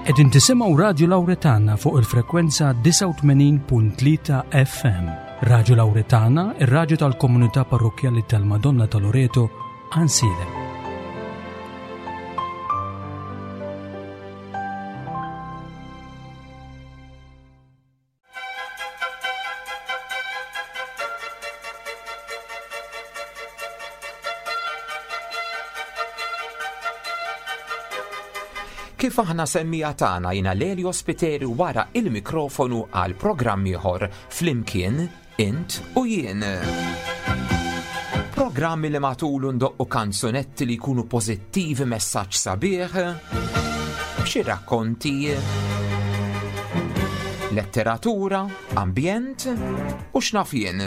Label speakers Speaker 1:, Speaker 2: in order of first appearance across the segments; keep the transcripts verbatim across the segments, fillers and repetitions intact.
Speaker 1: Qegħdin tisimgħu Radju Lawretana fuq il-frekwenza disgħa u tmenin punt tlieta F M. Radju Lawretana, ir-radju tal-komunità parrokkjali tal-Madonna ta' Loreto, Għajnsielem.
Speaker 2: Kif aħna semmija tagħna jiena Lelio Spiteri wara il-mikrofonu għal programm ieħor flimkien int u jien. Programmi li matulu ndoqqu kanzunetti li jkunu pożittivi, messaġġ sabiħ, xi rakkonti, letteratura, ambjent u x'naf jien.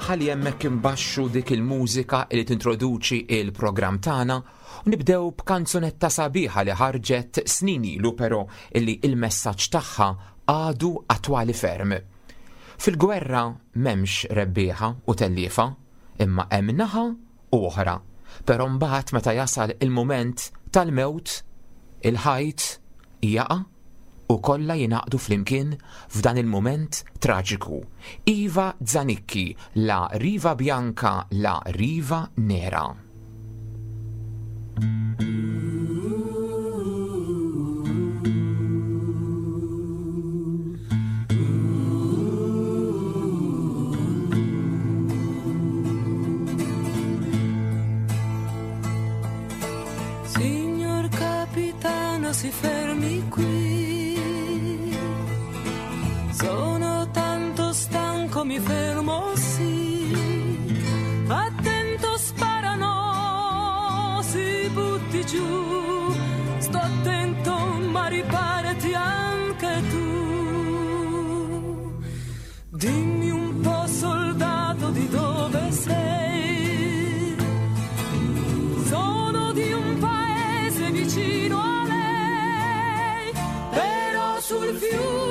Speaker 2: Ħalli hemmhekk imbaxxu dik il-mużika li tintroduċi il-programm tagħna u nibdew b'kanzunetta sabiħa li ħarġet snin ilu però illi il-messaġġ tagħha għadu attwali ferm. Fil-gwerra m'hemmx rebbieħa u telliefa, imma hemm naħa u oħra. Però mbagħad meta jasal il-mument tal-mewt, il-ħajt jaqa' u kollha jingħaqdu flimkien f'dan il-mument traġiku. Iva Zanicchi, La Riva Bianca, La Riva Nera.
Speaker 3: Signor capitano, si fermi qui. Sono tanto stanco, mi fermo, sì. Attento, sparano, si butti giù. Sto attento, ma riparati anche tu. Dimmi un po', soldato, di dove sei. Sono di un paese vicino a lei, però sul fiume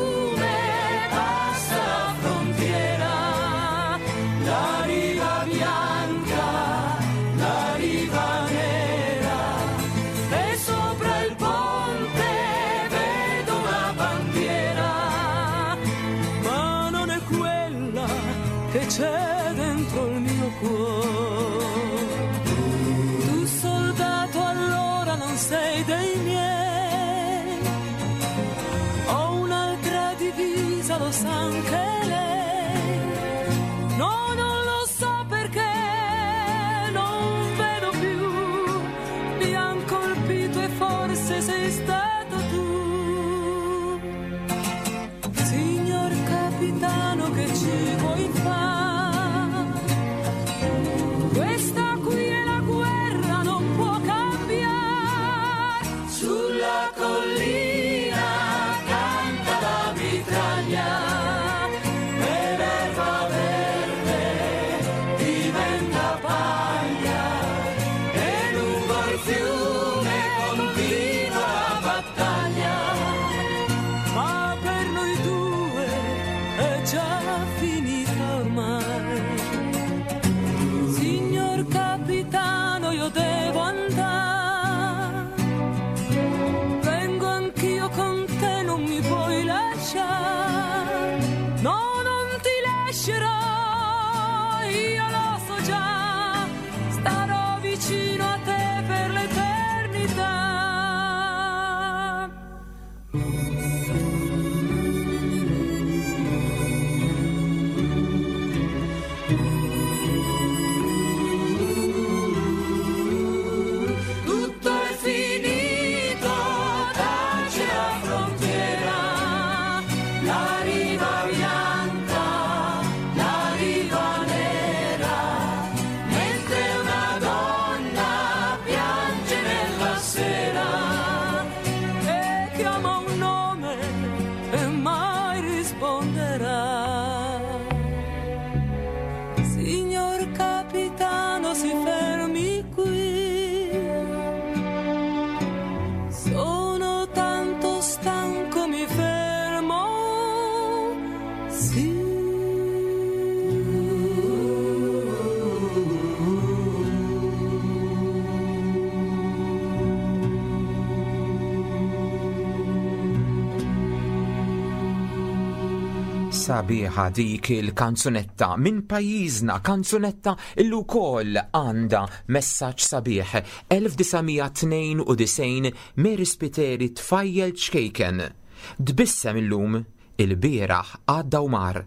Speaker 2: Sabiħa dik il-kanzunetta minn pajjiżna, kanzunetta illu wkoll għandha messaġġ sabiħ. elf disa' mija tnejn u disgħin Mary Spiteri tfajjel ċkejken. Tbissem illum, il-bieraħ għadda u mar,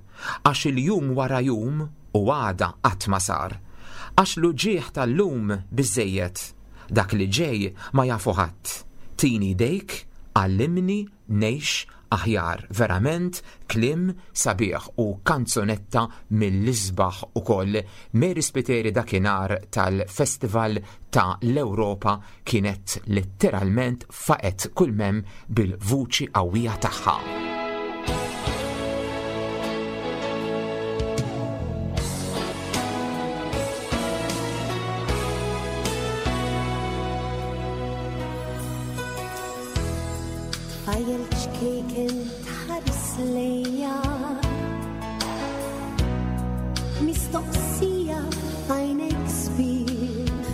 Speaker 2: għax il-jum wara jum u għada qatt ma sar. Għax l-uġigħ tal-lum biżejjed, dak li ġej ma jafu ħadd. Tini dejk, għallimni ngħix aħjar. Verament kliem sabiħ u kanzunetta mill-isbaħ ukoll. Mary Spiteri dakinhar tal-Festival ta' l-Ewropa kienet letteralment faqet kull mem bil-vuċi qawwija tagħha.
Speaker 4: Tfajjel ċkejken tħares lejja, mistoqsija f'għajnejk sbieħ,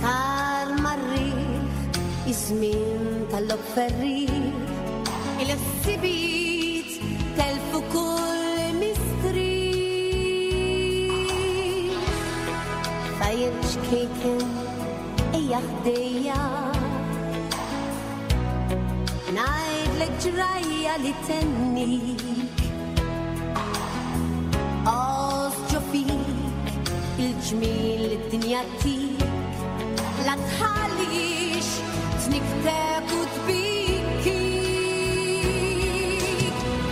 Speaker 4: tar marriħ iż-żmien tal-lob ferriħ, il-ħsibijiet telfu kull mistrieħ. Tfajjel ċkejken ejja ħdejja, ngħidlek ġrajja li tennik, għoż ġo fik il-ġmiel li d-dinja tik, la tħallix tniktek u tbikkik.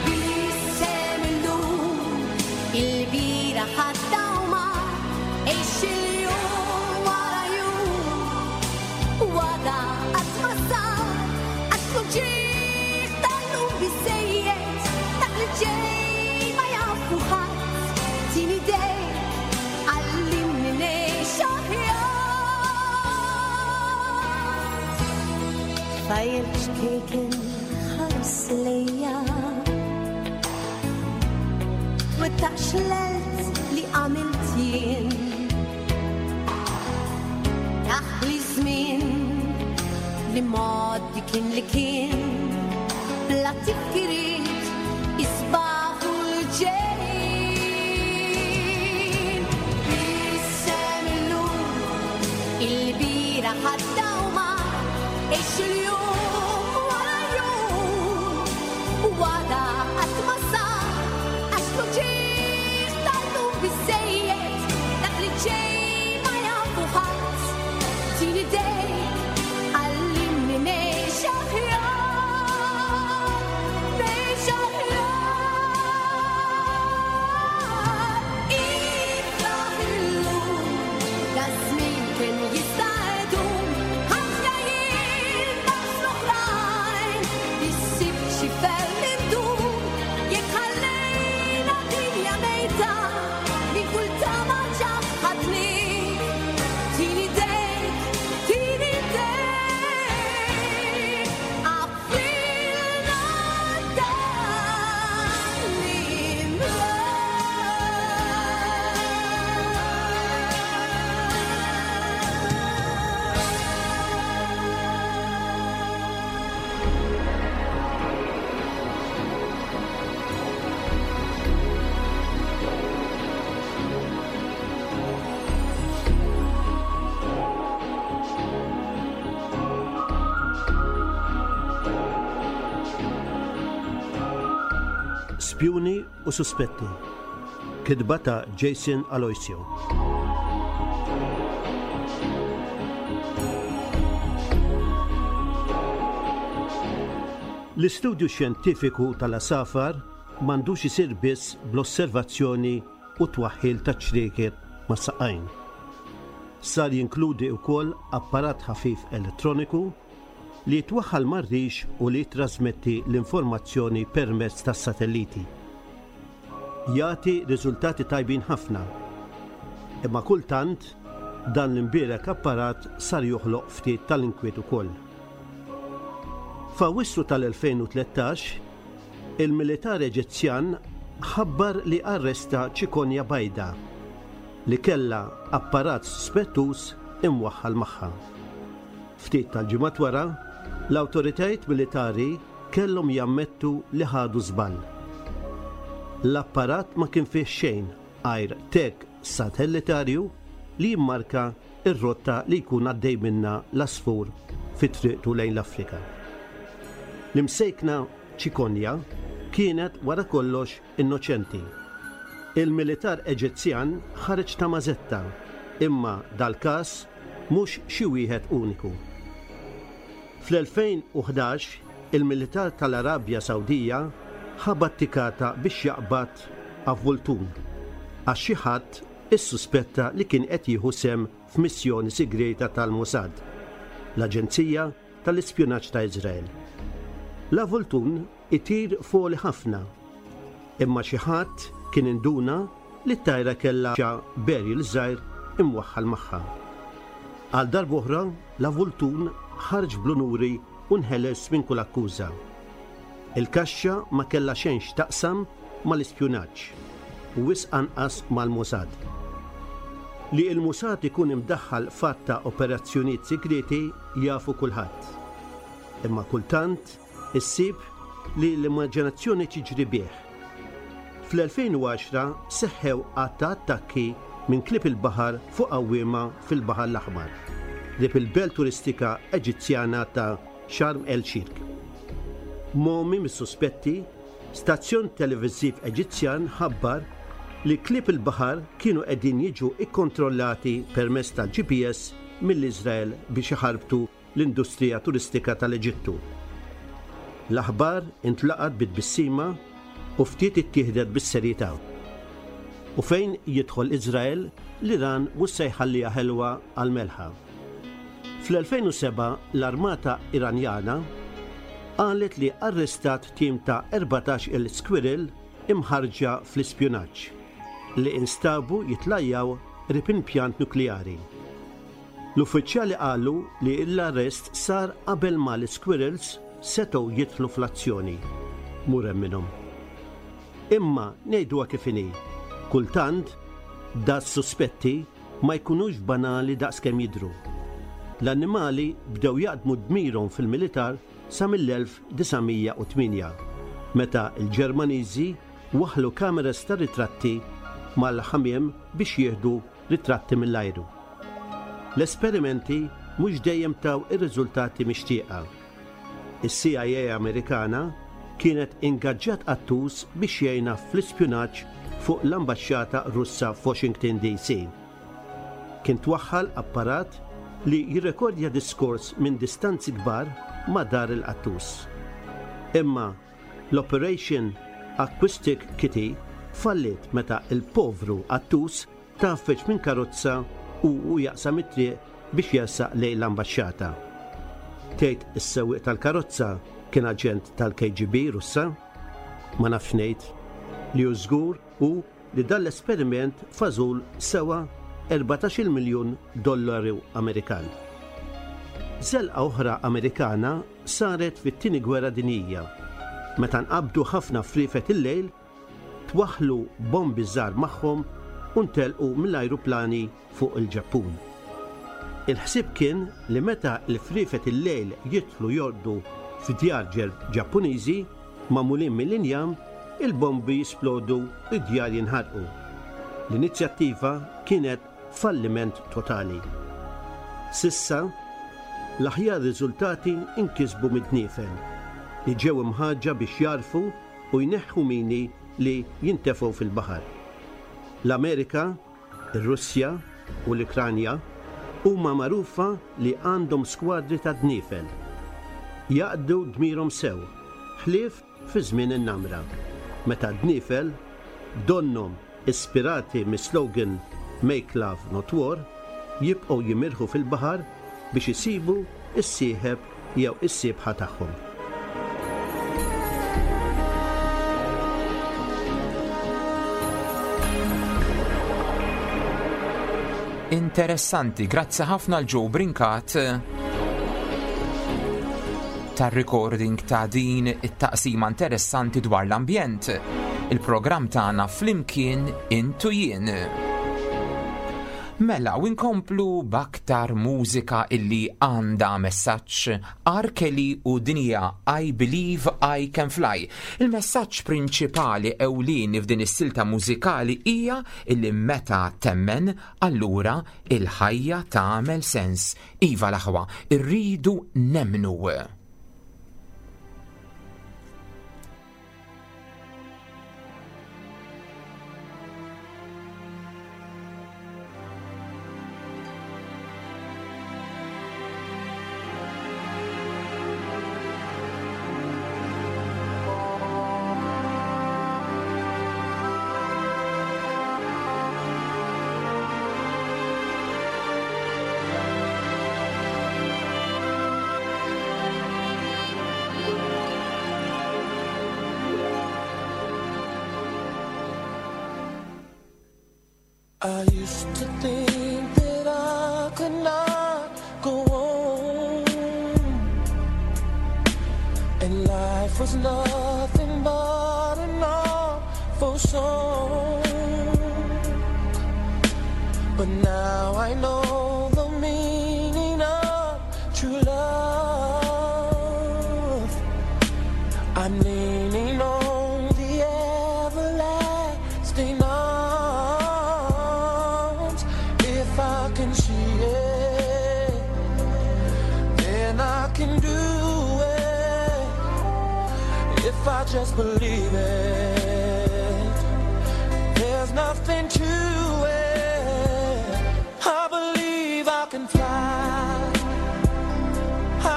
Speaker 4: Bissem illum il-bira ħadda u mar, għix il-jum wara jum, u għada qatt ma sar, għax l-uġigħ tal-lum biżejjed, dak li ġej ma jafu ħadd. Tini dejk, għallimni ngħix aħjar. Tfajjel ċkejken ħares lejja, twettaqx l-għelt li għamilt jien, taħli żmien li mgħoddi kien li kien, bla tifkiriet isbaħ u l-ġejjin. Bissem illum il-bira ħadda u mar, għix il-jum wara jum, u għada qatt ma sar, għax l-uġigħ tal-lum biżejjed, dak li ġej ma jafu ħadd. Tini dejk, għallimni ngħix aħjar, ngħix aħjar. Ifraħ illum, da żmien kien jista' jdum, ħafna jien daqs l-oħrajn, issib xi ferm indum, jekk ħallejna dinja mejta, minn kull tama ġaħħadni. Tini dejk, tini dejk, għafilna dan l-imrar.
Speaker 5: Spjuni u Suspetti. Kitba ta' Jason Aloisio. L-istudju xjentifiku tal-asafar m'għandux isir biss bl-osservazzjoni u twaħħil ta' ċrieket ma' saqajn. Sar jinkludi wkoll apparat ħafif elettroniku li jitwaħħal mar-rix u li jitrasmetti l-informazzjoni permezz tas-satelliti. Jagħti riżultati tajbin ħafna, imma kultant dan l-imbierek apparat sar joħloq ftit tal-inkwiet ukoll. F'Awwissu tal-elfejn u tlettax, il-militar Eġizzjan ħabbar li arresta ċikonja bajda li kellha apparat suspettuż imwaħħal magħha. Ftit tal-ġimgħat wara, l-awtoritajiet militari kellhom jammettu li ħadu żball. L-apparat ma kien fih xejn għajr tag satellitarju li jimmarka ir-rotta li jkun għaddej minna l-għasfur fi triqtu lejn l-Afrika. L-imsejkna ċikonja kienet wara kollox innoċenti. Il-militar Eġizzjan ħareġ ta' mażetta, imma dal-każ mhux xi wieħed uniku. Fl-elfejn u ħdax il-militar tal-Arabja Sawdija ħabat tikata biex jaqbad avvoltun għax xi ħadd issuspetta li kien qed jieħu sehem f'missjoni segreta tal-Mossad, l-Aġenzija tal-Ispjunaġġ ta' Izrael. L-avvoltun itir foli ħafna, imma xi ħadd kien induna li t-tajra kellha barrel żgħir imwaħħal magħha. Għal darb'oħra l-avvoltun ħarġ bl-unuri u nħeles minn kull akkuża. Il-kaxxa ma kellha xejn x'taqsam mal-ispjunaġġ u wisq anqas mal-Mossad. Li il-Mossad ikun imdaħħal f'għadd ta' operazzjonijiet segreti jafu kulħadd. Imma kultant issib li l-immaġinazzjoni tiġri bih. Fl-elfejn u għaxra seħħew għadd ta' attakki minn klieb il-baħar fuq għawwiema fil-Baħar l-Aħmar, qrib il-belt turistika Eġizzjana ta' Sharm el-Sheikh. Momi mis-suspetti, stazzjon televiżiv Eġizzjan ħabbar li klieb il-baħar kienu qegħdin jiġu ikkontrollati permezz tal-G P S mill-Iżrael biex iħarbtu l-industrija turistika tal-Eġittu. L-aħbar intlaqat bit-tbissima u ftit ittieħdet bis-serjetà. U fejn jidħol Iżrael, l-Iran mhux se jħalliha ħelwa għal melħa. Fl-elfejn u sebgħa l-armata Iranjana qalet li arrestat tim ta' erbatax-il squirrel imħarġa fl-ispjunaġġ li instabu jitlajjaw qrib impjant nukleari. L-uffiċjali qalu li l-arrest sar qabel ma l-squirrels setgħu jidħlu fl-azzjoni. Murem minnhom. Imma ngħiduha kif inhi, kultant das-suspetti ma jkunux banali daqs kemm jidhru. L-annimali bdew jaqdmu dmirhom fil-militar sa mill-elf disa' mija u tmienja, meta l-Ġermaniżi waħlu kameras ta' ritratti mal-ħamiem biex jieħdu ritratti mill-ajru. L-esperimenti mhux dejjem taw ir-riżultati mixtieqa. Is-C I A Amerikana kienet ingaġġat qattus biex jgħinha fl-ispjunaġġ fuq l-ambaxxata Russa f'Washington D C. Kien twaħħal apparat li jirrekordja diskors minn distanzi kbar ma' dar il-qattus. Imma l-Operation Acoustic Kitty fallit meta il-povru qattus tgħaffeġ minn karozza u u jaqsam it-triq biex jersaq lejn l-ambaxxata. Tgħid is-sewwieq tal-karozza kien aġent tal-K G B Russa? Ma nafx ngħid, li hu żgur hu li dan l-esperiment fażul sewa erbatax-il miljun dollaru Amerikan. Żelqa oħra Amerikana saret fit-Tieni Gwerra Dinjija. Meta nqabdu ħafna friefet il-lejl, twaħlu bombi żgħar magħhom u ntelqu mill-ajruplani fuq il-Ġappun. Il-ħsieb kien li meta l-friefet il-lejl jidħlu jorqdu f'djar Ġappuniżi magħmulin mill-injam, il-bombi jisplodu u d-djar jinħarqu. L-inizjattiva kienet falliment totali. S'issa, l-aħjar riżultati inkisbu mid-dniefel li ġew imħarrġa biex jagħrfu u jneħħu mini li jintefgħu fil-baħar. L-Amerika, ir-Russja u l-Ukranja huma magħrufa li għandhom skwadri ta' dniefel. Jaqdu dmirhom sew, ħlief fi żmien in-namra. Meta dniefel donnhom ispirati mis-slogan "Make Love Not War" jibqgħu jimirħu fil-baħar biex isibu is-sieħeb jew is-sieħba tagħhom.
Speaker 2: Interessanti, grazzi ħafna lil Joe Brincat tar-recording ta' din it-taqsima interessanti dwar l-ambjent. Il-programm tagħna Flimkien Int u Jien. Mela, u nkomplu b'aktar mużika illi għandha messaġġ R. Kelly u dinja I Believe I Can Fly. Il-messaġġ prinċipali ewlieni f'din is-silta mużikali hija illi meta temmen allura il-ħajja tagħmel sens. Iva l-aħwa, irridu nemmnu.
Speaker 6: I used to think that I could not go on, and life was nothing but an awful song. But now I know the meaning of true love. I'm leaning on the everlasting arms. If I can see it, then I can do it. If I just believe it, there's nothing to it. I believe I can fly.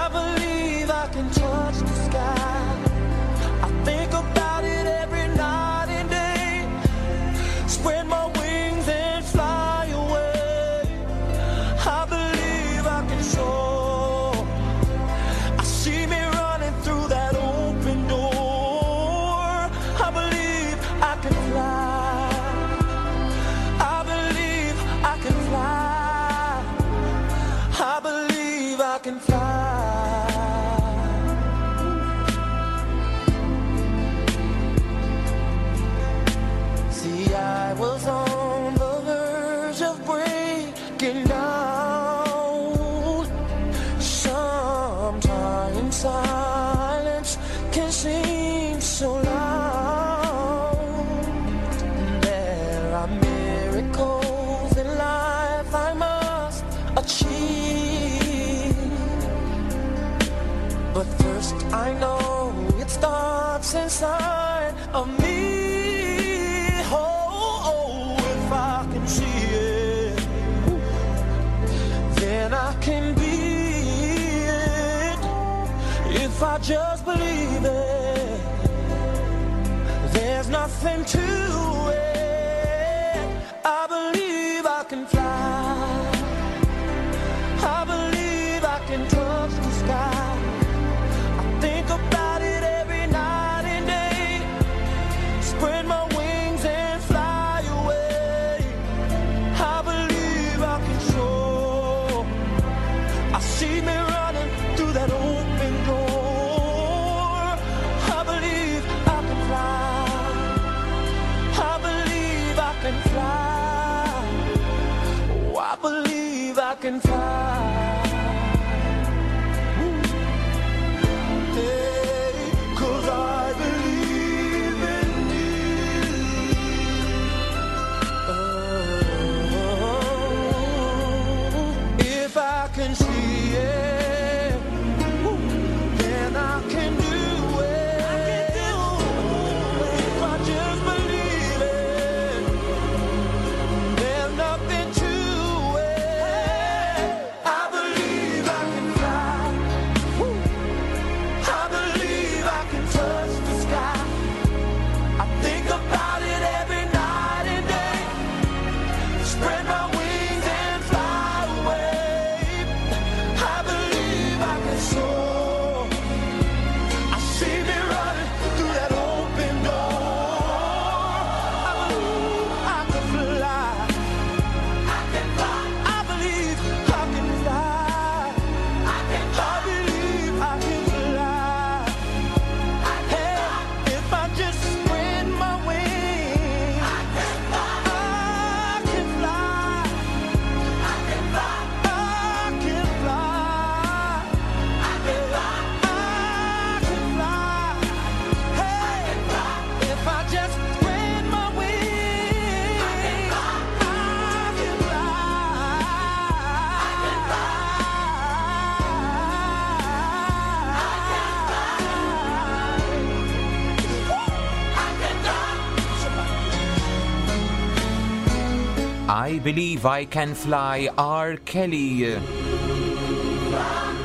Speaker 6: I believe I can touch the sky. I think about it every night and day. Spread my wings and fly away. I believe I can soar. I see me running through that open door. I believe I can fly. I believe I can fly. I believe I can fly. See, I was on the verge of breaking down. Sometimes silence can seem so loud. There are miracles in life I must achieve. But first I know it starts inside of me. Oh, oh, if I can see it, then I can be it. If I just believe it, there's nothing to it. I believe I can fly. I believe I can touch the sky. I think about it every night and day. Spread my wings and fly away. I believe I can soar. I see me running through that open door. I believe I can fly. I believe I can fly. Oh, I believe I can fly. Hey, 'cause I believe in you. Oh, if I can see it, then I can do it. If I just believe it, there's nothing to it. I believe.
Speaker 2: Believe I Can Fly, R. Kelly.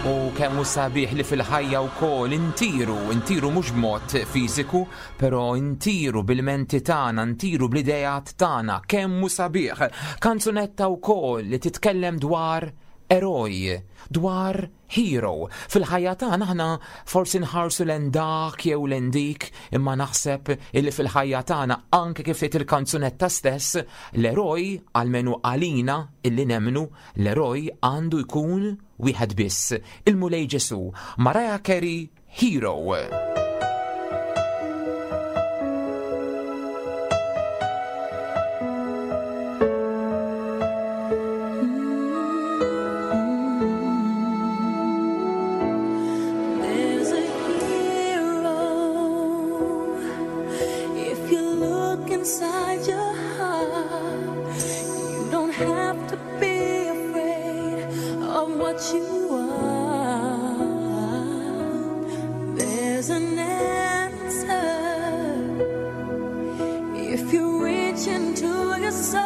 Speaker 2: U kemm hu sabiħ li fil-ħajja wkoll intiru, intiru mhux b'mod fiżiku, però intiru bil-menti tagħna, intiru bl-idejat tagħna, kemm hu sabiħ. Kanzunetta wkoll li titkellem dwar eroj, dwar hero. Fil-ħajja tagħna aħna forsi nħarsu lejn dak jew lejn dik, imma naħseb illi fil-ħajja tagħna anke kif tgħid il-kanzunetta stess, l-eroj almenu għalina illi nemmnu, l-eroj għandu jkun wieħed biss, il-Mulej Ġesu. Mariah Carey, Hero.
Speaker 3: There's a hero. If you look inside your heart, you don't have to be afraid of what you are. There's an answer. If you reach into your soul,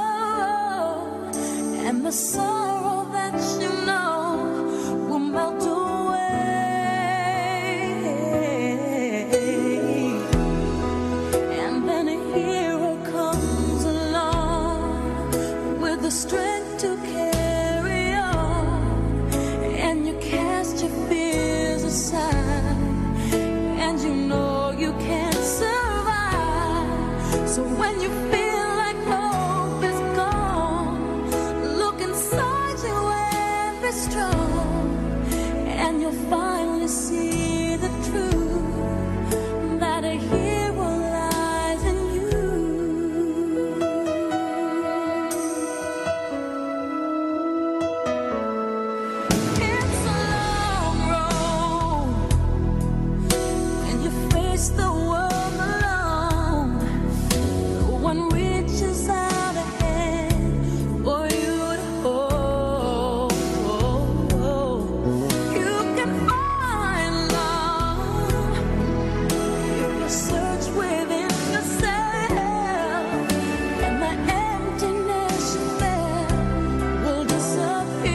Speaker 3: and the sorrow that you know will melt away. And then a hero comes along with the strength to carry on, and you cast your fears aside, and you know you can survive. So when you feel like hope is gone, look inside you and be strong, and you'll finally see the truth that a hero lies in you. It's a long road, and you face the world alone. No one reaches out a hand for you to hold. You can find love if you search within yourself, and the emptiness you felt will disappear.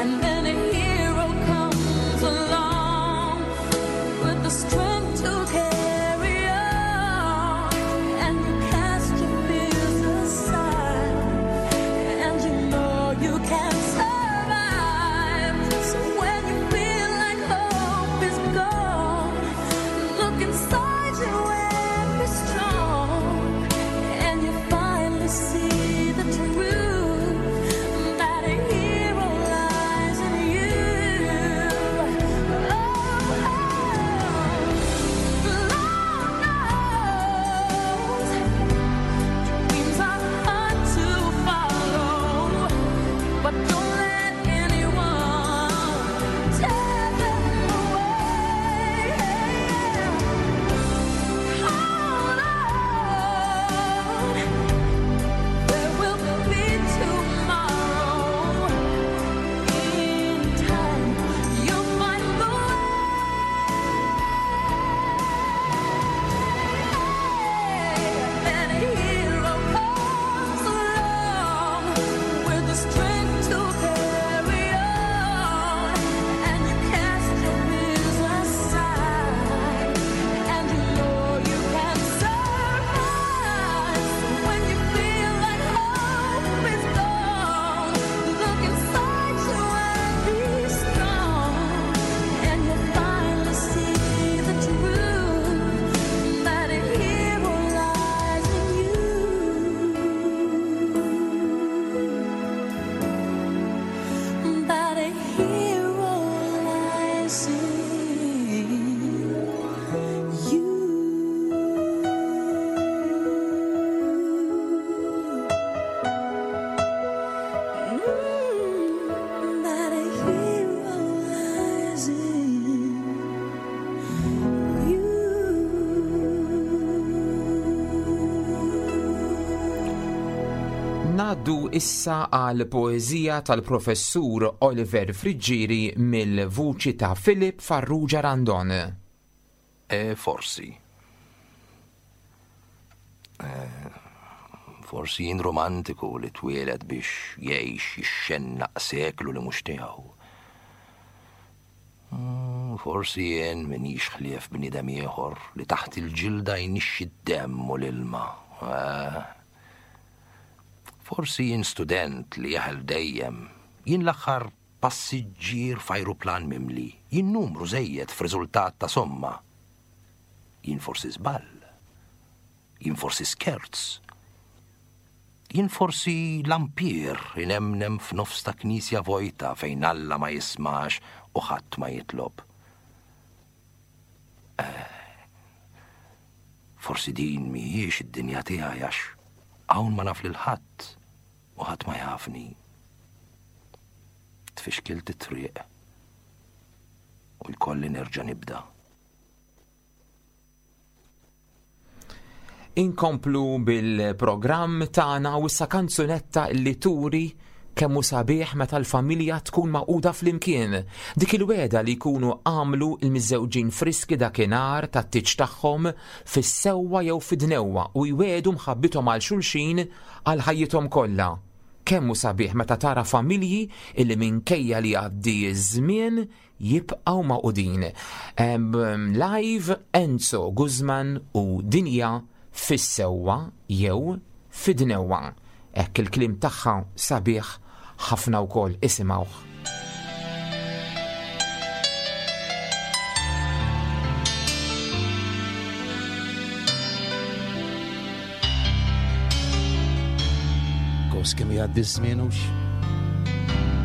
Speaker 3: And then a hero comes along with the strength to carry on, and you cast your fears aside, and you know you can survive. So when you feel like hope is gone, look inside you and be strong, and you finally see the truth that a hero lies in you. Oh, Lord knows dreams are hard to follow, but don't let anyone tear them away. Hold on, there will be tomorrow. In time, you'll find the way. And a hero comes along with the strength to carry on, and you cast your fears aside, and you know you can survive. So when you feel like hope is gone, look inside you and be strong, and you'll finally see the truth that a hero lies in you. That a hero lies in you. Mm, that a hero lies in you.
Speaker 2: Ngħaddu issa għal poeżija tal-professur Oliver Friggieri mill-vuċi ta' Philip Farrugia Randon.
Speaker 7: E forsi. Forsi jien romantiku li twieled biex jgħix jixxennaq seklu li mhux tiegħu. Forsi jien minix ħlief bniedem ieħor li taħt il-ġilda jnixxi d-demm u l-ilma. Forsi jien student li jeħel dejjem, jien l-aħħar passiġġier f'ajruplan mimli, jien numru żejjed f'riżultat ta' somma. Jien forsi żball, jien forsi skerz, jien forsi lampier inemnem f'nofs ta' knisja vojta fejn Alla ma jismax u ħadd ma jitlob. Forsi din mhijiex id-dinja tiegħi għax hawn ma naf lil ħadd u ħadd ma jafni. Tfixkilt it-triq u jkolli nerġa' nibda.
Speaker 2: Inkomplu bil-programm tagħna u issa kanzunetta li turi kemm hu sabiħ meta l-familja tkun maquda flimkien. Dik il-weda li jkunu għamlu l-miżżewġin friski dakinhar tat-tieġ tagħhom fis-sewwa jew fid-dnewwa u jwedu mħabbithom għal xulxin għal ħajjithom kollha. Kemm hu sabiħ meta tara familji illi minkejja li jgħaddi ż-żmien jibqgħu maqudin. Live Enzo Guzman u Dinja fis-sewwa jew fid-dnewwa. Hekk il-kliem tagħha sabiħ ħafna wkoll, isimgħuh.
Speaker 8: Kos kemm jgħaddi ż-żmien hux.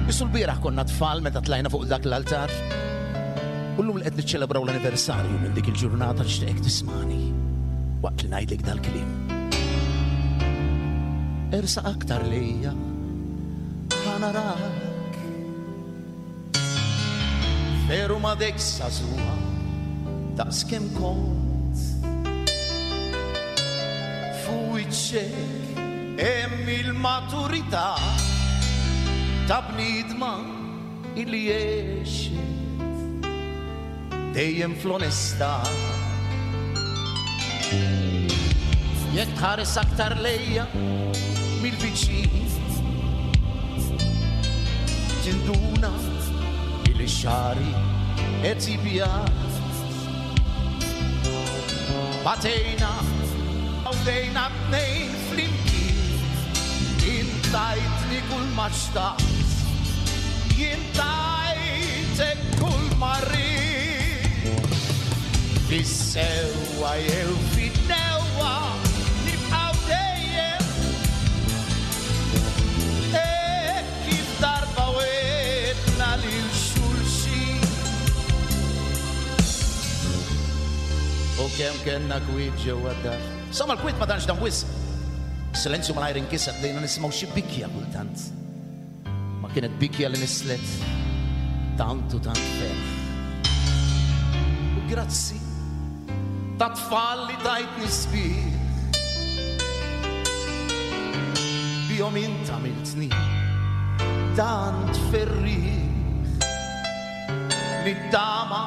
Speaker 8: Isu l-bieraħ konna tfal meta tlajna fuq dak l-altar. U llum li qed niċċelebraw l-anniversarju minn dik il-ġurnata nixtieqek tismani waqt li ngħidlek dal-kliem. Ersa aktar lejja, ħa narak. Veru ma dek sażuha daqs kemm kont. Fuq wiċċek hemm il-maturità ta' bniedma illi għexet dejjem fl-onestà. Jekk tħares aktar lejja mill-viċin, tinduna illi xagħri qed jibjad. Batejna għawdejna tnejn flimkien, intajtni kull ma xtaqt, jien tajtek kull ma rrid. Fis-sewwa jew fid-dnewwa nibqgħu dejjem hekk kif darba wetna lil xulxin. U kemm kellna kwiet ġewwa d-dar. Somma l-kwiet ma tantx dam wisq. Silenzju malajr inkiseb, bdejna nisimgħu xi bikja kultant. Ma kienet bikja li nislet tant u tant ferħ. U grazzi ta' tfal li tajtni sbieħ, bihom int għamiltni tant ferrieħ. Nittama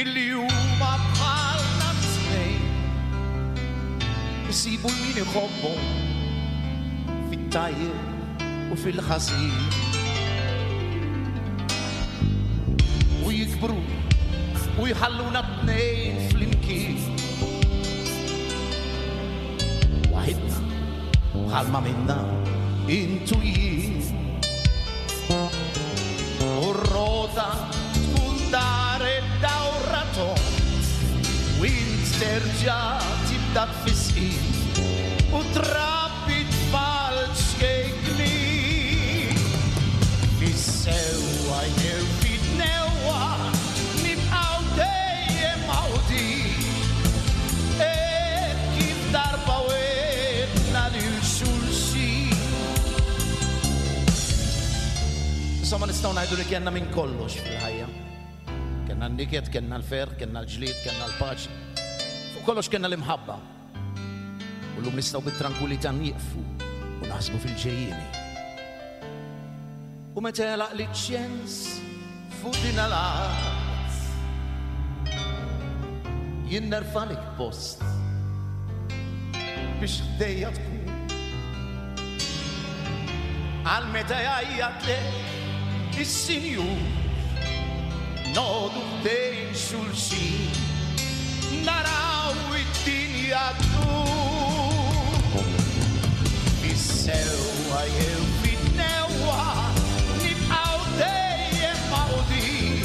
Speaker 8: illi huma bħalna tnejn isibu l-min iħobbhom fit-tajjeb u fil-ħażin. U jikbru u jħalluna tnejn flimkien. Waħidna bħalma minna intu jien. U r-rota tkun daret dawra tond, u int terġa' tibda tfisqin u trabbi tfal ċkejknin. Fis-sewwa jew fid-dnewwa nibqgħu dejjem mgħawdin, hekk kif darba wetna lil xulxin. Insomma nistgħu ngħidu li kellna minn kollox fil-ħajja. Kellna n-niket, kellna l-ferħ, kellna l-ġlied, kellna l-paċi. Fuq kollox kellna l-imħabba. U llum nistgħu bit-trankwillità nieqfu u naħsbu fil-ġejjieni. U meta jagħlaq li ċ-ċens fuq din l-art, jien nerfalek post biex ħdejja tkun Għal meta jgħajjatlek is-Sinjur, noqogħdu ħdejn xulxin, naraw id-dinja ddur. Fis-sewwa jew fit-newwa, nibqgħu dejjem magħqudin.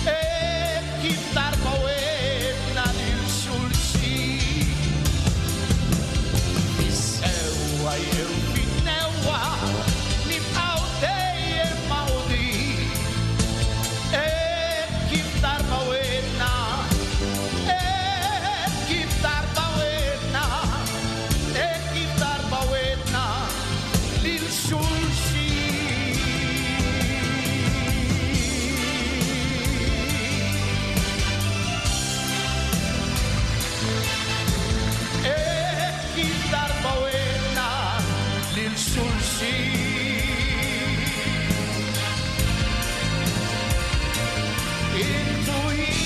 Speaker 8: Hekk kif darba wegħedna lil xulxin. Fis-sewwa jew fit-newwa, nibqgħu dejjem magħqudin. Hekk kif darba wegħedna, hekk kif darba wegħedna, hekk kif darba wegħedna lil xulxin. Hekk kif darba wegħedna lil xulxin. Intu jien.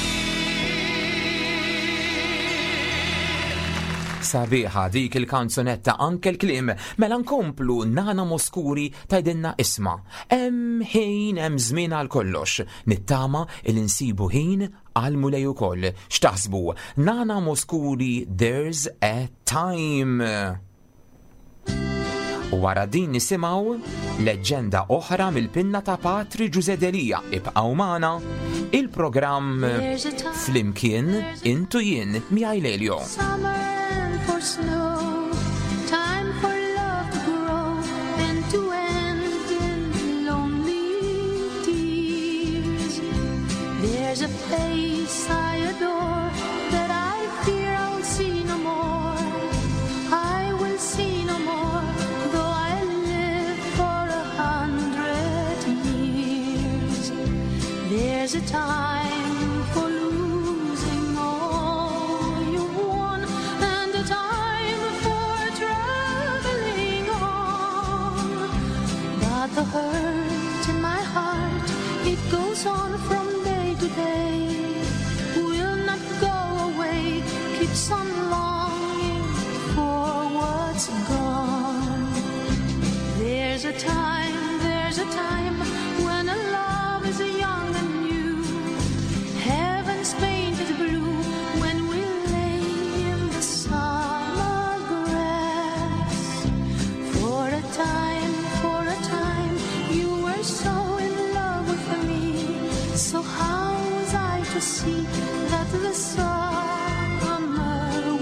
Speaker 2: Sabiħa dik il-kanzunetta, anke l-kliem, mela nkomplu. Nana Mouskouri tgħidilna, isma', hemm ħin, hemm żmien għal kollox. Nittama il insibu ħin għal Mulej ukoll. X'taħsbu? Nana Mouskouri, "There's a Time". U wara din nisimgħu leġġenda oħra mill-pinna ta' Patri Ġużè Delia. Ibqgħu magħna, il-programm
Speaker 3: There's a time
Speaker 2: Flimkien Int u Jien, miegħi Lelio.
Speaker 3: Summer and for snow, time for love to grow and to end in lonely tears. There's a face I adore that I fear I'll see no more. I will see no more, though I live for a hundred years. There's a time for losing all you've won, and a time for traveling on. But the hurt in my heart, it goes on from day to day, will not go away, keeps on longing for what's gone. There's a time, there's a time when a love is young and new. Heaven's painted blue when we lay in the summer grass. For a time, for a time, you were so in love with me. So how was I to see that the summer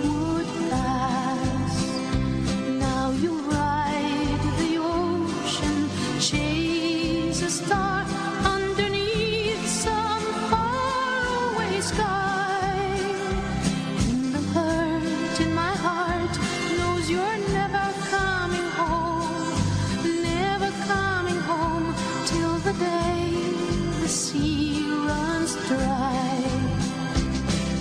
Speaker 3: would pass? Now you ride the ocean, chase a star underneath some faraway sky. And the hurt in my heart knows you're never coming home, never coming home till the day the sea runs dry.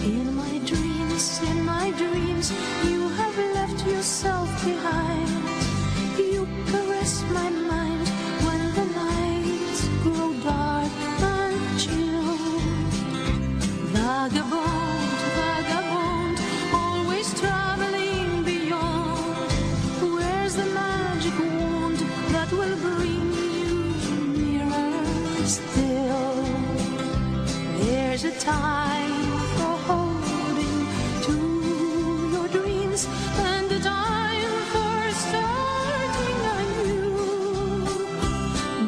Speaker 3: In my dreams, in my dreams, you have left yourself behind. You caress my mind when the nights grow dark and chill. Vagabond, vagabond, always traveling beyond. Where's the magic wand that will bring you nearer still? There's a time for holding to your dreams and a time for starting anew.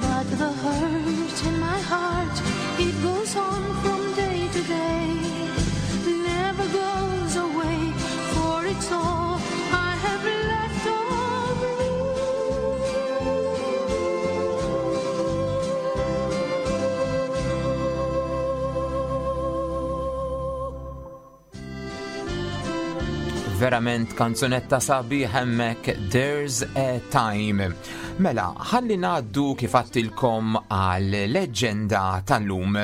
Speaker 3: But the hurt in my heart, it goes on from day to day, never goes away, for it's all I have left of you.
Speaker 2: Verament kanzunetta sabiħ hemmhekk, "There's a Time". Mela, ħalli ngħaddu kif għedtilkom għal leġġenda tal-lum.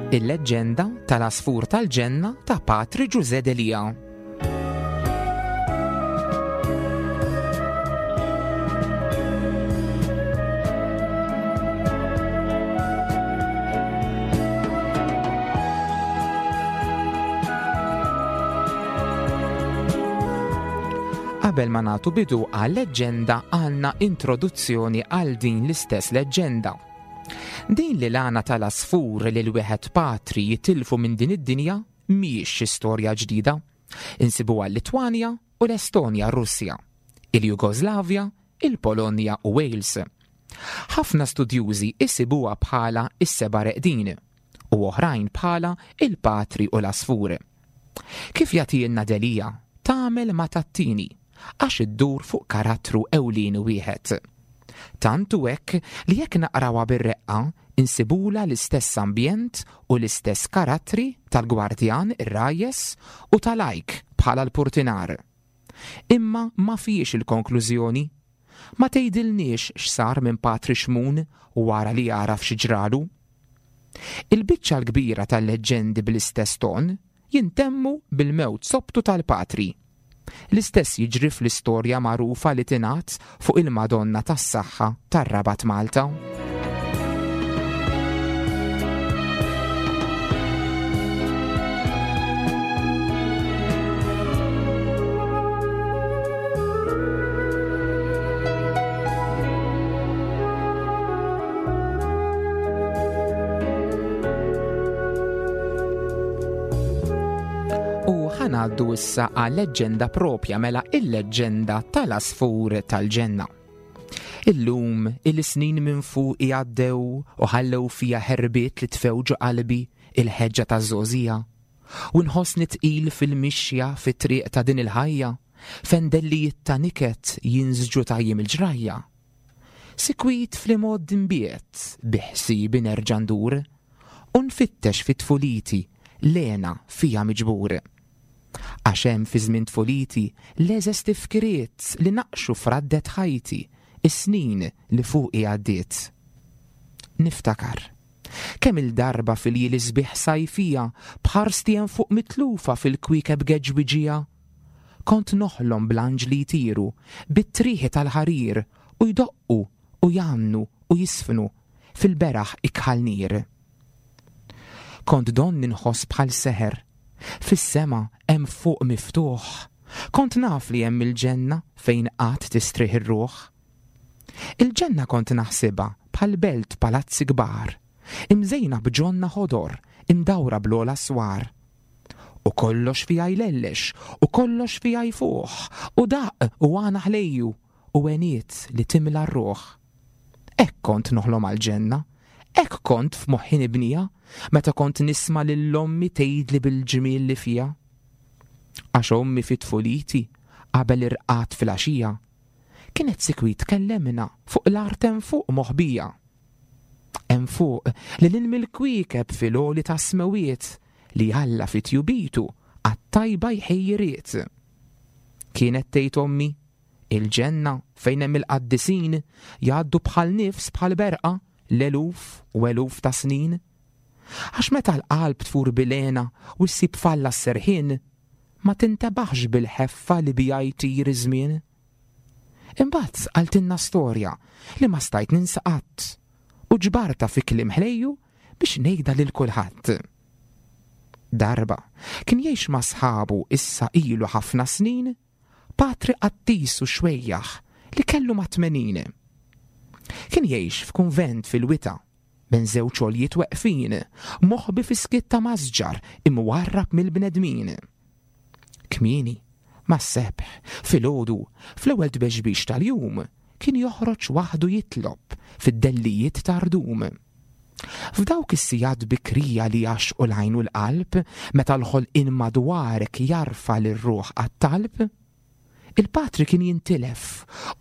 Speaker 2: Il-leġġenda tal-Għasfur tal-Ġenna ta' Patri Ġużè Delia. Qabel ma nagħtu bidu għal-leġġenda għandna introduzzjoni għal din l-istess leġġenda. Din li l-għana tal-għasfur li l-wieħed patri jitilfu minn din id-dinja mhijiex xi storja ġdida. Insibuha l-Litwanja u l-Estonja Russja, il-Jugoslavja, il-Polonja u Wales. Ħafna studjużi isibuha bħala is-seba' reqdin u oħrajn bħala il-patri u l-għasfur. Kif jagħtilna Delia, tagħmel ma tattini għax iddur fuq karattru ewlieni wieħed. Tant hu hekk li jekk naqrawha bir-reqqa insibula l-istess ambjent u l-istess karattri tal-gwardjan ir-rajjes u tal-ajk bħala l-purtinar. Imma ma fiex il-konklużjoni. Ma tgħidilniex x'sar minn Patri Xmun wara li għaraf xi ġralu. Il-biċċa l-kbira tal-leġġendi bl-istess ton jintemmu bil-mewt sobtu tal-patri. L-istess jiġri fl-istorja magħrufa li tingħad fuq il-Madonna tas-Saħħa tar-Rabat Malta. U ħanaddu issa għal leġġenda propja, mela il-leġġenda tal-Għasfur tal-Ġenna. Illum il-snin minn fuq jgħaddew u ħallew fija ħerbiet li tfew ġo qalbi il-ħeġġa taż-żgħożija. U nħossni tqil fil-mixja fit-triq ta' din il-ħajja, fendellijiet ta' niket jinżġu tajjim il-ġrajja. Sikwit fl-imgħoddi nbiet bi ħsiebi nerġa' ndur u nfittex fit-tfuliti l-hena fija miġbur. Għax hemm fi żmien tfuliti l-eżes tifkiriet li naqxu fraddet ħajti is-snin li fuqi għaddiet. Niftakar kemm il-darba fil-jiem sbieħ sajfija bħarsti hemm fuq mitlufa fil-kwiekeb geġwiġija. Kont noħlom bl-anġli jtiru bit-trieħi tal-ħarir u jdoqqu u jgħannu u jisfnu fil-beraħ ikħal nir. Kont donni nħoss bħal seħer fis-sema hemm fuq miftuħ. Kont naf li hemm il-ġenna fejn qatt tistrieħ ir-ruħ. Il-ġenna kont naħsibha bħal belt palazzi kbar, imżejna b'ġonna ħodor, imdawra bl-ogħla swar. U kollox fiha jlellex, u kollox fiha jfuħ, u daq u għana ħlejju, u għeniet li timla r-ruħ. Hekk kont noħlom għall-ġenna, hekk kont f'moħħi nibnija, meta kont nisma' lil ommi tgħidli bil-ġmiel li fija. Għax ommi fit-tfuliti qabel irqad fil-għaxija, kienet sikwit tkellemna fuq l-art hemm fuq moħbija. Hemm fuq li lil mill-kwiekeb fil-għoli tas-smewiet li Alla fit-tjubitu għat-tajba jħejjiriet. Kienet tgħid ommi, il-ġenna fejn hemm il-qaddisin jgħaddu bħal nifs bħal berqa l-eluf u eluf ta' snin. Għax meta l-qalb tfur bilena u ssib falla s-serħin, ma tintebaħx bil-ħeffa li bija jtir iż-żmien. Imbagħad qaltilna storja li ma stajt ninsa qatt u ġbarta fi kliem ħlejju biex ngħidha lil kulħadd. Darba kien jgħix ma' sħabu issa ilu ħafna snin, patri qattis u xwejjaħ li kellu ma' tmenin. Kien jgħix f'kunvent fil-wita, bejn żewġ għoljiet weqfin, moħbi fi skiet ta' masġar imwarrab mill-bnedmin. Kmieni, mas-sebħ, filgħodu, fl-ewwel tbexbix tal-jum, kien joħroġ waħdu jitlob fid-dellijiet ta' rdum. F'dawk is-sigħat bikrija li jaxqu l-għajn u l-qalb, meta l-ħolqien madwarek jarfa lir-ruħ għat-talb, il-patri kien jintilef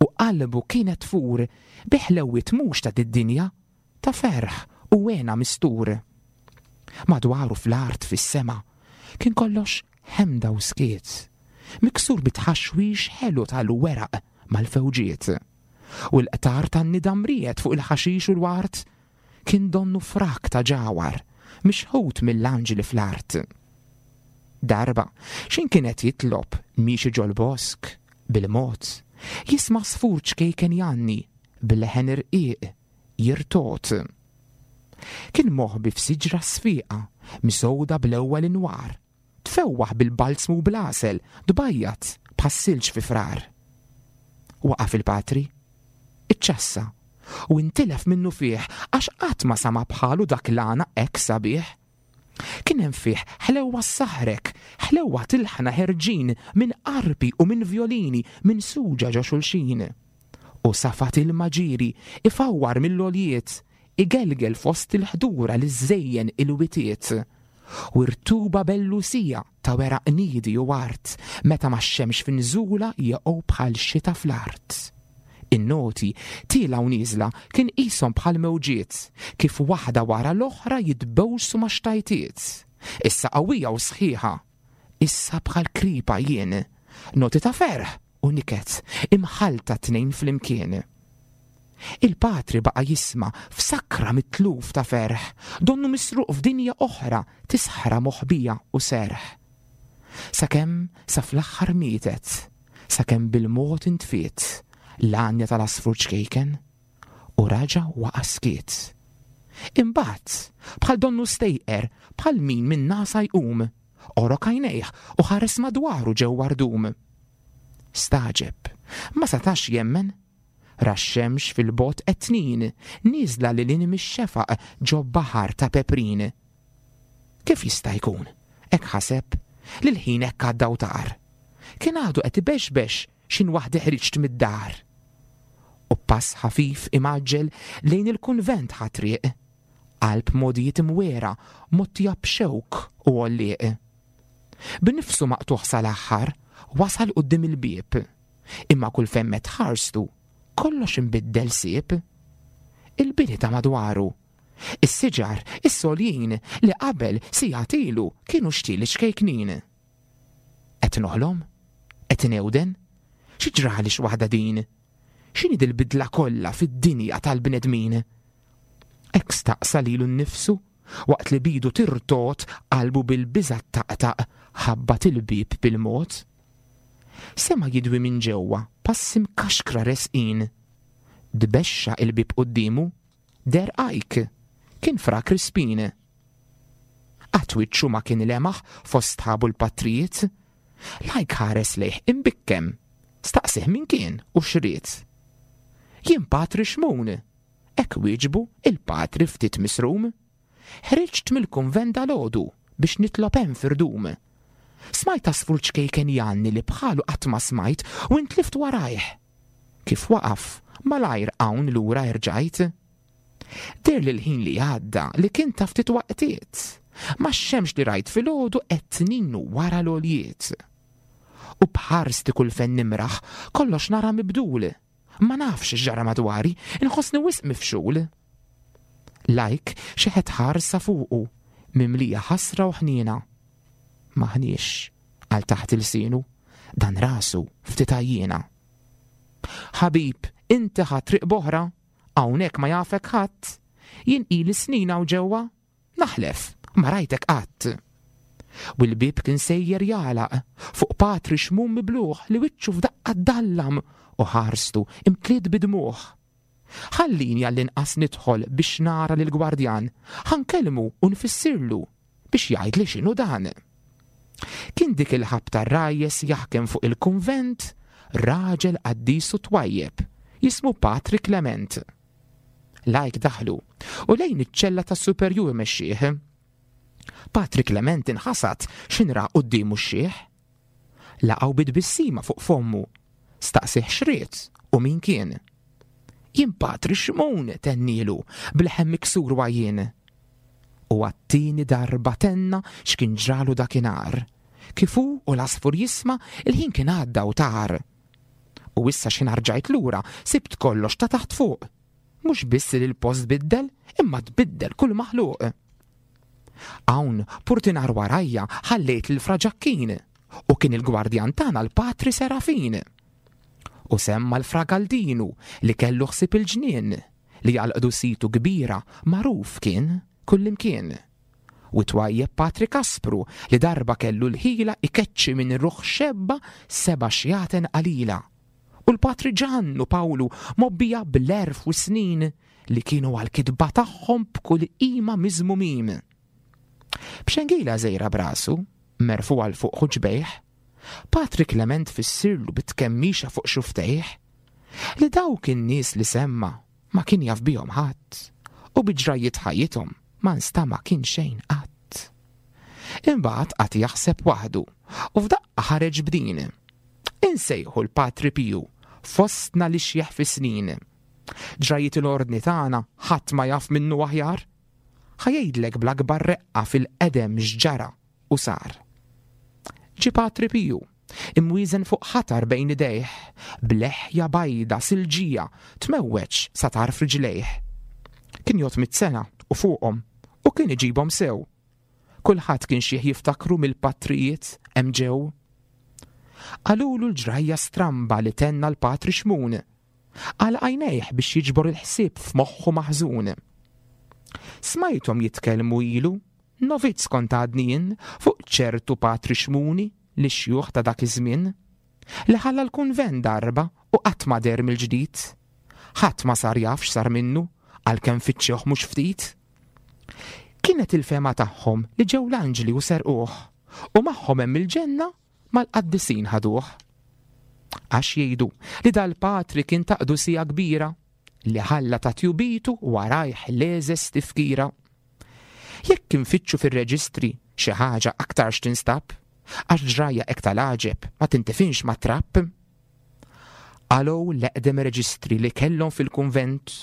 Speaker 2: u qalbu kienet tfur bi ħlewwiet mhux ta' did-dinja, ta' ferħ u hena mistur. Madwaru fl-art fis-sema kien kollox ħemda u skiet, miksur bi tħaxwix ħelu tal-weraq mal-fewġiet. U l-qtar tan-nida mriet fuq il-ħaxix u l-wart kien donnu frak ta' ġawar mixħut mill-anġli fl-art. Darba, x'ħin kien qed jitlob miexi ġol-bosk, bil-mod, jisma' għasfur ċkejken jgħanni, bil-leħen irqiq, jirtogħod. Kien moħbi f'siġra sfiqa, misgħuda bl-ewwel inwar, tfewwaħ bil-balzmu u bl-għasel, tbajjad bħas-silġ fi Frar. Waqaf il-patri, iċċassa, u intilef minnu fih għax qatt ma sama bħalu dak l-għana hekk sabiħ. Kien hemm fih ħlewwa ssaħħrek, ħlewwa t'ilħna ħerġin minn arpi u minn vjolini minn suġa ġo xulxin. U safat ilma ġieri ifawwar mill-għoljiet, igelgel fost il-ħdura li żżejjen il-witiet. U rtuba bellusija ta' weraq niedi u art, meta max-xemx f'inżula jaqgħu bħal xita fl-art. In-noti tiela u nieżla kien qishom bħal mewġiet, kif waħda wara l-oħra jitbewsu ma' xtajtiet. Issa qawwija u sħiħa, issa bħal kripa jien, noti ta' ferħ u niket, imħallta tnejn flimkien. Il-patri baqa' jisma' f'sakra mitluf ta' ferħ, donnu misruq f'dinja oħra tisħra moħbija u serħ. Sakemm sa fl-aħħar mietet, sakemm bil-mod intfiet l-għanja tal-għasfur ċkejken u raġa' waqa' skiet. Imbagħad, bħal donnu stejqer, bħal min minn nasa jqum, għorok għajnejh u ħares madwaru ġewwa rdum. Stagħġeb, ma setax jemmen, ra x-xemx fil-bogħod qed tnin, nieżla lil hinn mix-xefaq ġo baħar ta' peprin. Kif jista' jkun? Hekk ħaseb, li l-ħin hekk għadda u tar. Kien għadu qed ibexbex x'ħin waħdi ħriġt mid-dar. U pass ħafif imgħaġġel lejn il-kunvent ħa triq, qalb mogħdijiet imwiegħra mgħottija b'xewk u għollieq. B'nifsu maqtugħ sal-aħħar wasal quddiem il-bieb, imma kull fejn medd ħarstu kollox imbiddel sieb. Il-bini ta' madwaru, is-siġar, is-soljin li qabel sigħat ilu kienu xtieli ċkejknin. Qed noħlom? Qed newden? Xi ġrali x'waħda din? X'inhi dil-bidla kollha fid-dinja tal-bnedmin? Hekk staqsa lilu nnifsu waqt li bidu tirtot qalbu bil-biża' taqtaq ħabbat il-bieb bil-mod. Sema' jidwi minn ġewwa passi mkaxkra resqin. Dbexxa il-bieb quddiemu, deher ajk, kien Fra Crispin. Qatt wiċċu ma kien lemaħ fost sħabu l-patrijiet. Lajk ħares lejh imbikkem, staqsih min kien u x'ried. Jien Patri Xmun, hekk wieġbu il-patri ftit misrum. Ħriġt mill-kunvent dalgħodu biex nitlob hemm f'irdum. Smajt għasfur ċkejken jgħanni li bħalu qatt ma smajt u intlift warajh. Kif waqaf, malajr hawn lura rġajt. Deher li l-ħin li għadda li kien ta' ftit waqtiet, ma x-xemx li rajt filgħodu qed tnin wara l-għoljiet. U bħarsti kull fejn nimraħ, kollox nara mibdul. Ma nafx x'ġara madwari, inħossni wisq mifxul. Lajk xeħet ħarsa fuqu, mimlija ħasra u ħniena. M'aħniex, għal taħt il-sinu, dan rasu ftit għajjiena. Ħabib, inti ħadt triq b'oħra, hawnhekk ma jafek ħadd, jien ili snin hawn ġewwa, naħlef, ma rajtek qatt. U l-bieb kien sejjer jagħlaq fuq Patri Xmun mibluħ li wiċċu f'daqqa ddallam u ħarstu imtliet bidmuħ. Ħallini għall-inqas nidħol biex nara lill-gwardjan, ħa nkellmu u nfissirlu biex jgħidli x'inhu dan. Kien dik il-ħabta r-rajjes jaħkem fuq il-kunvent raġel qaddis u twajjeb jismu Patri Clement. Lajk daħlu u lejn iċ-ċella tas-superjur mexxih. Patri Clement inħasad x'inra quddiemu x-xiħ. Laqgħu bi tbissima fuq fommu, staqsih x'ried u min kien. Jien Patri Xmun tennilu b'leħen miksur għajjien. U għat-tieni darba tenna x'kien ġralu dakinhar. Kif hu u l-għasfur jisma' il-ħin kien għadda u tar. U issa x'ħin rġajt lura sibt kollox ta' taħt fuq. Mhux biss li l-post biddel, imma tbiddel kull maħluq. Hawn purtinar warajja ħallejt lil Fra Ġakkin u kien il-gwardjan tagħna l-Patri Serafin. U semma l-Fra Galdinu li kellu ħsieb il-ġnien li għal qdusitu kbira magħruf kien kullimkien. U twajjeb Patri Kaspru li darba kellu l-ħila ikeċċi minn ruħ xebba seba' xjaten qalila. U l-Patri Ġann u Pawlu mobbija bl-erf u snin li kienu għal-kitba tagħhom b'kull qima miżmumin. B'xengila żejra brasu, merfu għal fuq ħuġbejh, Patri Klement fissirlu bit-tkemmixa fuq xuftejh li dawk in-nies li semma ma kien jaf bihom ħadd u bi ġrajjiet ħajjithom ma nstama kien xejn qatt. Imbagħad qatt jaħseb waħdu u f'daqqa ħareġ b'din. Insejħu l-Patri Piju fostna li xjeħ fi snin. Ġrajjiet l-ordni tagħna ħadd ma jaf minnu aħjar. Ħa jgħidlek bl-akbar reqqa fil-qedem x'ġara u sar. Ġie Patri Piju, imwieżen fuq ħatar bejn idejh, bleħja bajda silġija tmewweġ sa tarf riġlejh. Kien jgħod mitt sena u fuqhom u kien iġibhom sew. Kulħadd kien xih jiftakru mill-patrijiet hemm ġew. Qalulu l-ġrajja stramba li tenna l-Patri Xmun. Għal għajnejh biex jiġbor il-ħsieb f'moħħu maħżun. Smajthom jitkellmu ilu, novizz kont għadni jien, fuq ċertu Patri Xmuni li xjuħ ta' dak iż-żmien, li ħalla l-kunvent darba u qatt ma deher mill-ġdid. Ħadd ma sar jaf x'sar minnu għalkemm fittxewh mhux ftit. Kienet il-fema tagħhom li ġew l-anġli u serquh u magħhom hemm il-ġenna mal-qaddisin ħaduh. Għax jgħidu li dal-patri kien ta' qdusija kbira li ħalla ta' tjubitu warajh leżes tifkira. Jekk infittxu fir-reġistri xi ħaġa aktarx tinstab, għax ġrajja hekk tal-għaġeb ma tintifinx ma' trapp. Qalgħu l-eqdem reġistri li kellhom fil-kunvent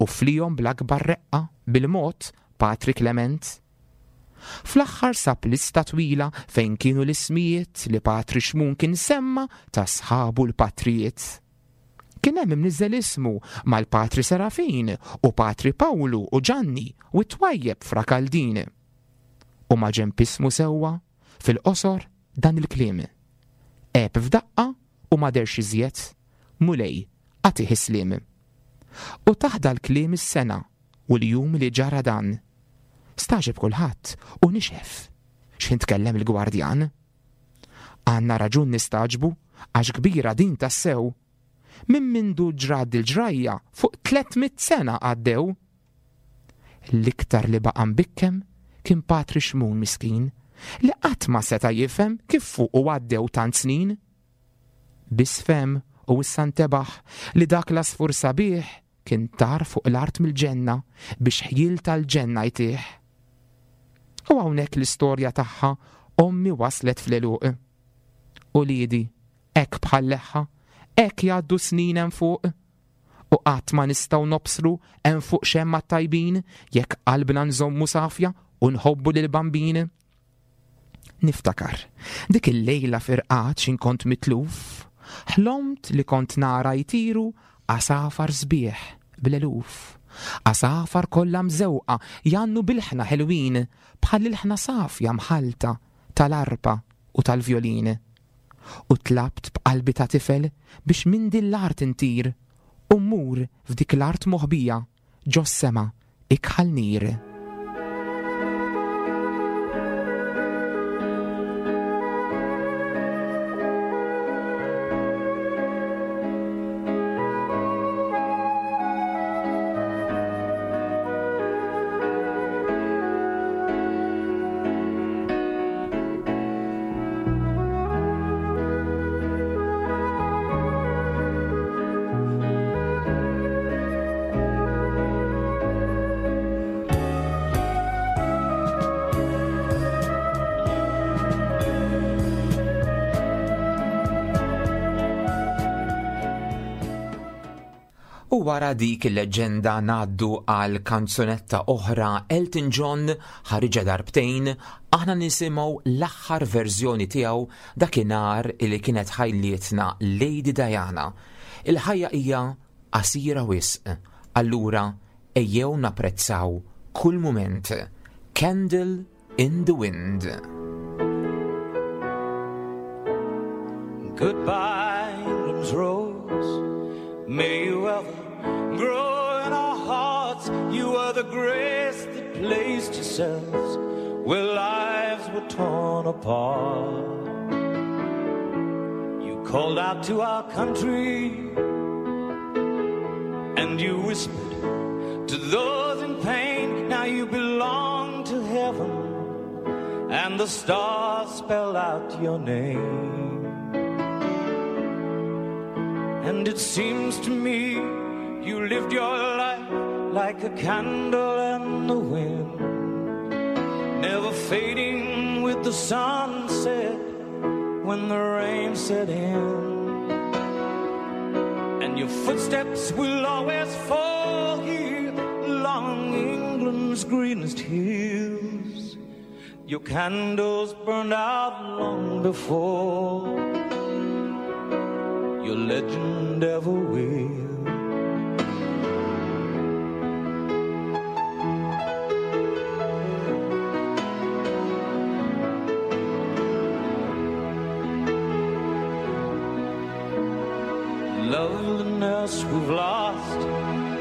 Speaker 2: u flihom bl-akbar reqqa bil-mod Patri Klement. Fl-aħħar sab lista twila fejn kienu l-ismijiet li Patri Xmun kien semma ta' sħabu l-patrijiet. Kien hemm imniżżel ismu mal-Patri Serafin u Patri Pawlu u Ġanni u t-twajjeb Fra Kaldin. U ma ġenb ismu sewwa fil-qosor dan il-kliem. Għeb f'daqqa u ma derx iżjed, Mulej għatih is-sliem. U taħda l-kliem is-sena u l-jum li ġara dan. Staġeb kulħadd u nixef x'ħin tkellem il-gwardjan. Għandna raġun nistaġbu għax kbira din tassew. Minn mindu ġrad il-ġrajja fuq tliet mitt sena għaddew. L-iktar li baqa' mbikkem kien Patri Xmun miskin li qatt ma seta' jifhem kif fuq u għaddew tant snin. Biss fehem u issa ntebaħ li dak l-għasfur sabiħ kien tar fuq l-art mill-ġenna biex ħjiel tal-ġenna jtih. U hawnhekk l-istorja tagħha ommi waslet fl-għeluq. Uliedi, hekk bħal leħħa, hekk jgħaddu snin hemm fuq. U qatt ma nistgħu nobsru hemm fuq xemma tajbin jekk qalbna nżommu safja u nħobbu lil bambin. Niftakar, dik il-lejla firqat x'in kont mitluf, ħlomt li kont nara jtiru għasafar sbieħ bl-eluf. Għasafar kollha mżewqa jannu bil-ħna ħelwin bħal il-ħna safja mħalta tal-arpa u tal-vjolin. U tlabt b'qalbi ta' tifel biex minn din l-art intir u mmur f'dik l-art moħbija ġos-sema ikħal nir. U wara dik il-leġenda ngħaddu għal kanzunetta oħra Elton John ħariġa darbtejn, aħna nisimgħu l-aħħar verżjoni tiegħu dakinhar li kienet ħajlietna Lady Diana. Il-ħajja hija qasira wisq, allura ejjew napprezzaw kull mument. Candle in the Wind.
Speaker 6: Goodbye, England's rose. May you ever grow in our hearts. You are the grace that placed yourselves where lives were torn apart. You called out to our country, and you whispered to those in pain, now you belong to heaven, and the stars spell out your name. And it seems to me you lived your life like a candle in the wind, never fading with the sunset when the rain set in. And your footsteps will always fall here along England's greenest hills. Your candles burned out long before your legend ever will. Loveliness we've lost,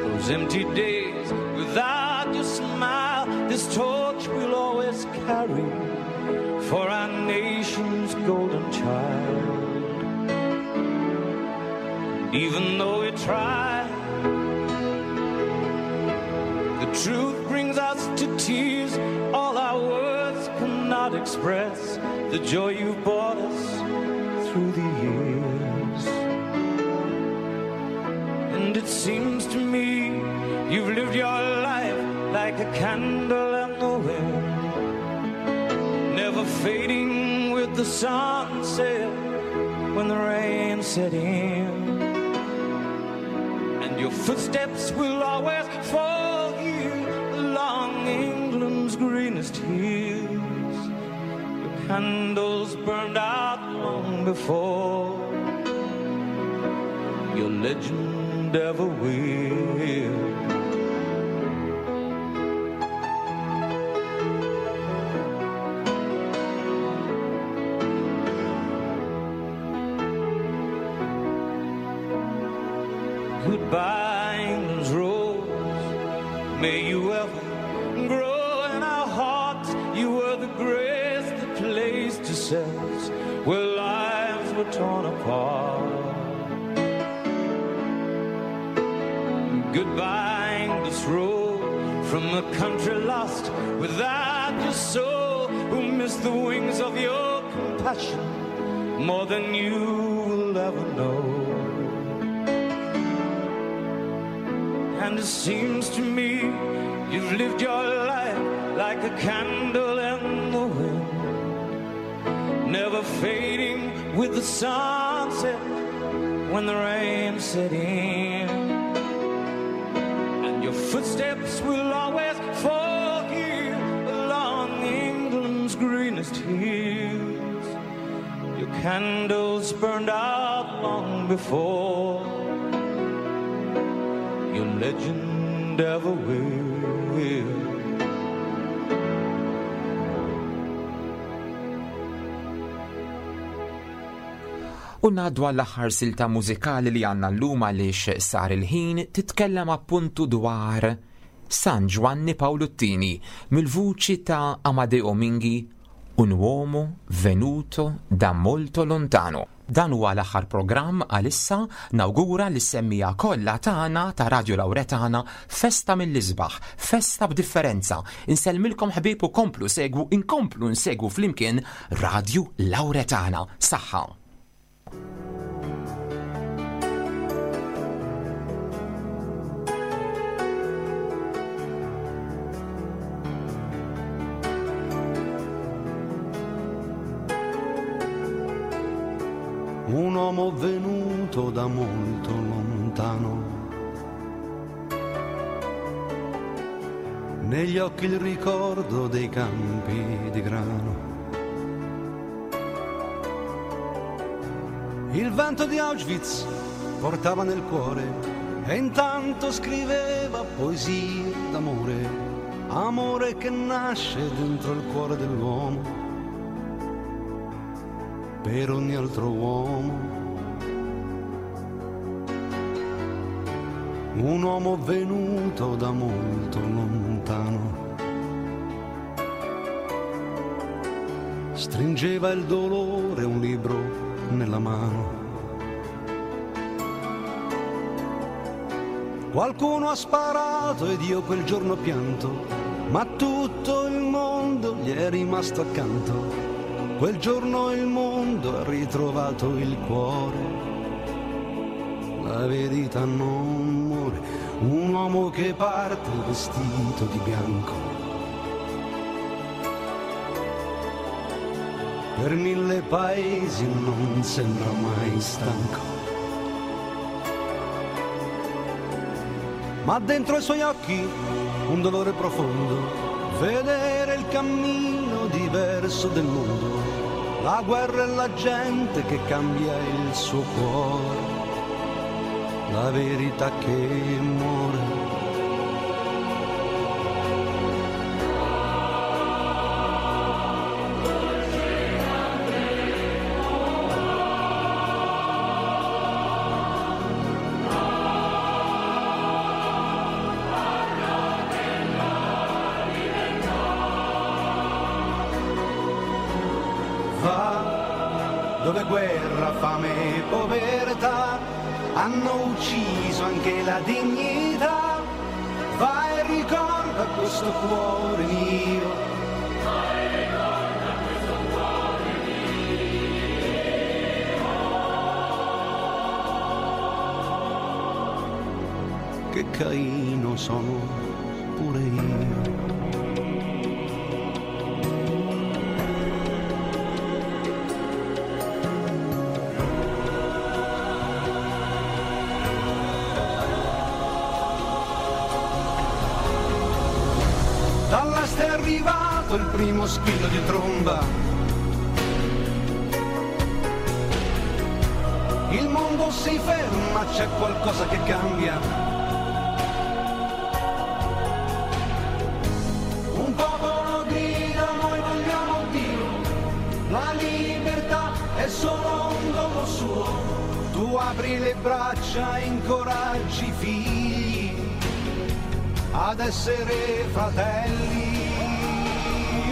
Speaker 6: those empty days without your smile. This torch we'll always carry for our nation's golden child. Even though we try, the truth brings us to tears. All our words cannot express the joy you've brought us through the years. And it seems to me you've lived your life like a candle in the wind, never fading with the sunset when the rain set in. And your footsteps will always fall here along England's greenest hills. Your candles burned out long before your legend ever will. Goodbye, England's rose. May you ever grow in our hearts. You were the grace that placed yourselves where lives were torn apart. Goodbye, English road, from a country lost without your soul, who missed the wings of your compassion more than you will ever know. And it seems to me you've lived your life like a candle in the wind, never fading with the sunset when the rain set in. And your footsteps will always fall here along England's greenest hills. Your candles burned out long before your legend ever will.
Speaker 2: U ngħaddu għall-aħħar silta mużikali li għandna llum għaliex sar il-ħin, titkellem appuntu dwar San Ġwanni Paolo t-Tieni mill-vuċi ta' Amadeo Minghi, Un uomo venuto da molto lontano. Dan huwa l-aħħar programm għalissa. Nawgura lis-semmiegħa kollha tagħna ta' Radio Lauretana festa mill-isbaħ, festa b'differenza. Insellmilkom ħbieb u komplu segwu, inkomplu nsegwu flimkien Radio Lauretana. Saħħa.
Speaker 9: Un uomo venuto da molto lontano, negli occhi il ricordo dei campi di grano. Il vento di Auschwitz portava nel cuore e intanto scriveva poesie d'amore, amore che nasce dentro il cuore dell'uomo per ogni altro uomo. Un uomo venuto da molto lontano. Stringeva il dolore, un libro nella mano. Qualcuno ha sparato ed io quel giorno ho pianto, ma tutto il mondo gli è rimasto accanto. Quel giorno il mondo ha ritrovato il cuore. La verità non muore, un uomo che parte vestito di bianco. Per mille paesi non sembra mai stanco. Ma dentro i suoi occhi un dolore profondo, vedere il cammino diverso del mondo, la guerra e la gente che cambia il suo cuore, la verità che muore. Dove guerra, fame e povertà hanno ucciso anche la dignità. Vai e ricorda questo cuore mio.
Speaker 10: Vai e ricorda questo cuore
Speaker 9: mio. Che Caino sono pure io. Dall'est è arrivato il primo squillo di tromba. Il mondo si ferma, c'è qualcosa che cambia. Un popolo grida, noi vogliamo Dio. La libertà è solo un dono suo. Tu apri le braccia, incoraggi i figli ad essere fratelli.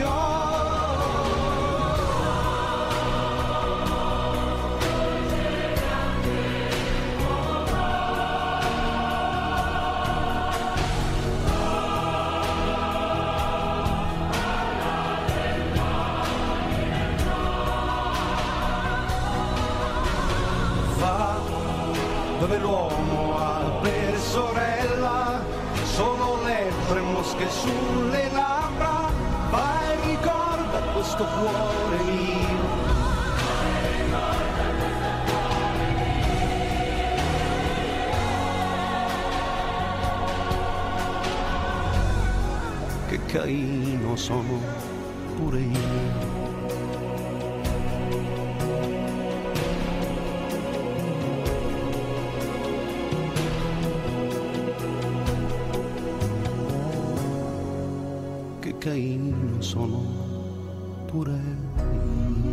Speaker 9: Oh. Va dove l'uomo ha per sorella solo lepre e mosche sulle labbra. Vai e ricorda questo cuore mio. Che Caino sono pure io. Caino sono pure io.